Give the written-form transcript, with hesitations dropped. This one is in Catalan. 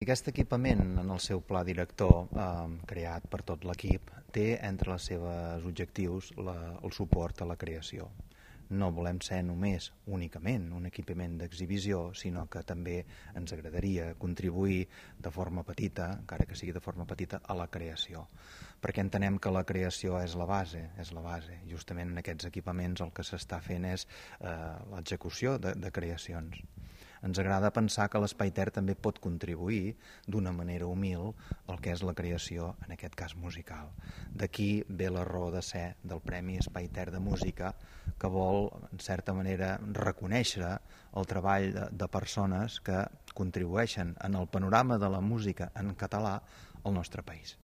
Aquest equipament, en el seu pla director, creat per tot l'equip, té entre els seus objectius el suport a la creació. No volem ser només únicament un equipament d'exhibició, sinó que també ens agradaria contribuir de forma petita, encara que sigui de forma petita, a la creació. Perquè entenem que la creació és la base. Justament en aquests equipaments el que s'està fent és l'execució de creacions. Ens agrada pensar que l'Espai Ter també pot contribuir d'una manera humil al que és la creació, en aquest cas musical. D'aquí ve la raó de ser del Premi Espai Ter de Música, que vol, en certa manera, reconèixer el treball de persones que contribueixen en el panorama de la música en català al nostre país.